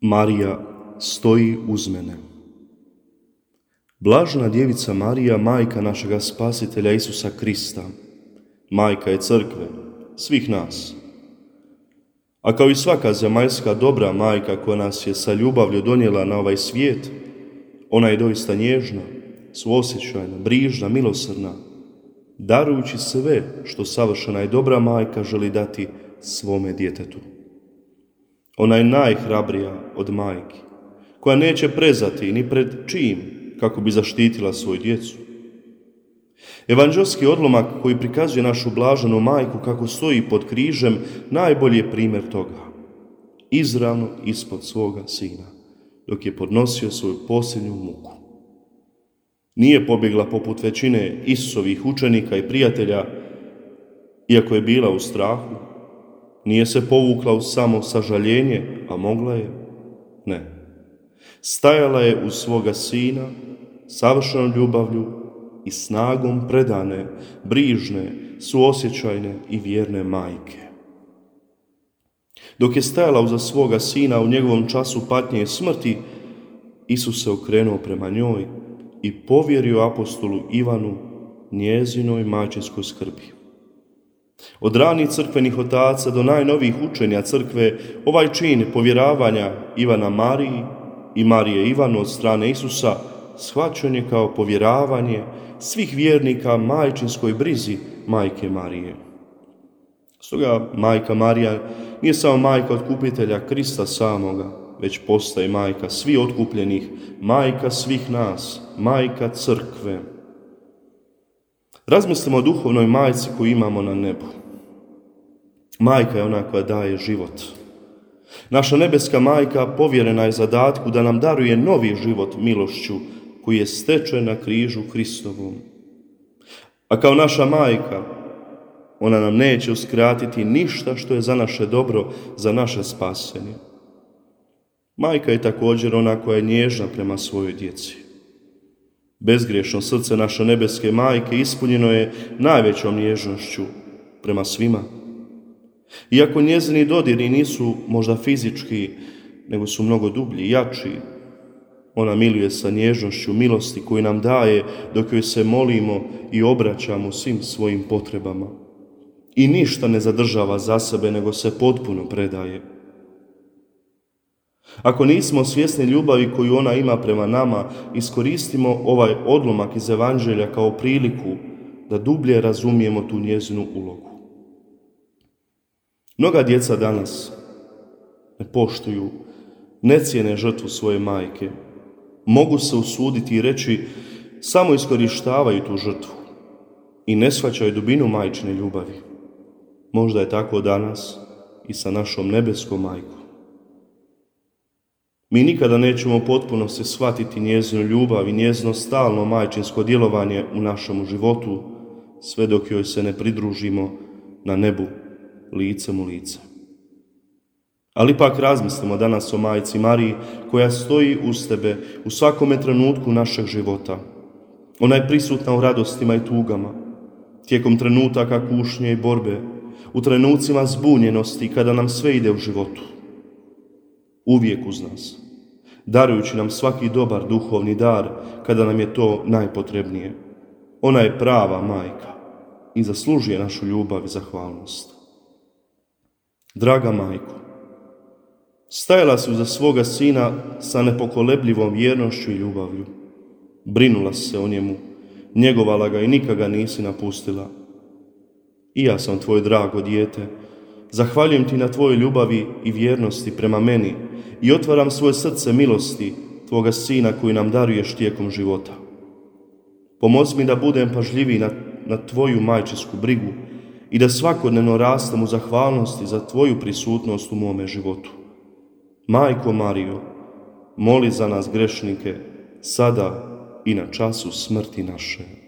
Marija stoji uz mene. Blažena djevica Marija, majka našega Spasitelja Isusa Krista, majka je crkve, svih nas. A kao i svaka zemaljska dobra majka koja nas je sa ljubavlju donijela na ovaj svijet, ona je doista nježna, suosjećajna, brižna, milosrdna, darujući sve što savršena i dobra majka želi dati svome djetetu. Ona je najhrabrija od majki, koja neće prezati ni pred čim kako bi zaštitila svoju djecu. Evanđelski odlomak koji prikazuje našu blaženu majku kako stoji pod križem najbolji je primjer toga. Izravno ispod svoga sina, dok je podnosio svoju posljednju muku. Nije pobjegla poput većine Isusovih učenika i prijatelja, iako je bila u strahu. Nije se povukla u samo sažaljenje, a mogla je. Ne. Stajala je uz svoga sina, savršenom ljubavlju i snagom predane, brižne, suosjećajne i vjerne majke. Dok je stajala uza svoga sina u njegovom času patnje i smrti, Isus se okrenuo prema njoj i povjerio apostolu Ivanu njezinoj majčinskoj skrbi. Od ranih crkvenih otaca do najnovijih učenja crkve, ovaj čin povjeravanja Ivana Mariji i Marije Ivanu od strane Isusa shvaćen je kao povjeravanje svih vjernika majčinskoj brizi majke Marije. Stoga majka Marija nije samo majka otkupitelja Krista samoga, već postaje majka svih otkupljenih, majka svih nas, majka crkve. Razmislimo o duhovnoj majci koju imamo na nebu. Majka je ona koja daje život. Naša nebeska majka povjerena je zadatku da nam daruje novi život milošću koji je stečen na križu Hristovom. A kao naša majka, ona nam neće uskratiti ništa što je za naše dobro, za naše spasenje. Majka je također ona koja je nježna prema svojoj djeci. Bezgriješno srce naše nebeske majke ispunjeno je najvećom nježnošću prema svima. Iako njezini dodiri nisu možda fizički, nego su mnogo dublji i jači, ona miluje sa nježnošću milosti koju nam daje dok joj se molimo i obraćamo svim svojim potrebama. I ništa ne zadržava za sebe, nego se potpuno predaje. Ako nismo svjesni ljubavi koju ona ima prema nama, iskoristimo ovaj odlomak iz Evanđelja kao priliku da dublje razumijemo tu njezinu ulogu. Mnoga djeca danas ne poštuju, ne cijene žrtvu svoje majke. Mogu se usuditi i reći samo iskorištavaju tu žrtvu i ne shvaćaju dubinu majčine ljubavi. Možda je tako danas i sa našom nebeskom majkom. Mi nikada nećemo potpuno se shvatiti njezinu ljubav i njezino stalno majčinsko djelovanje u našem životu, sve dok joj se ne pridružimo na nebu, licem u lice. Ali ipak razmislimo danas o majci Mariji koja stoji uz tebe u svakome trenutku našeg života. Ona je prisutna u radostima i tugama, tijekom trenutaka kušnje i borbe, u trenucima zbunjenosti kada nam sve ide u životu. Uvijek uz nas, darujući nam svaki dobar duhovni dar kada nam je to najpotrebnije. Ona je prava majka i zaslužuje našu ljubav i zahvalnost. Draga majko, stajala si uza svoga sina sa nepokolebljivom vjernošću i ljubavlju. Brinula si se o njemu, njegovala ga i nikada ga nisi napustila. I ja sam tvoje drago dijete. Zahvaljujem ti na tvojoj ljubavi i vjernosti prema meni i otvaram svoje srce milosti tvoga sina koji nam daruješ tijekom života. Pomozi mi da budem pažljiviji na tvoju majčinsku brigu i da svakodnevno rastem u zahvalnosti za tvoju prisutnost u mome životu. Majko Marijo, moli za nas grešnike, sada i na času smrti naše.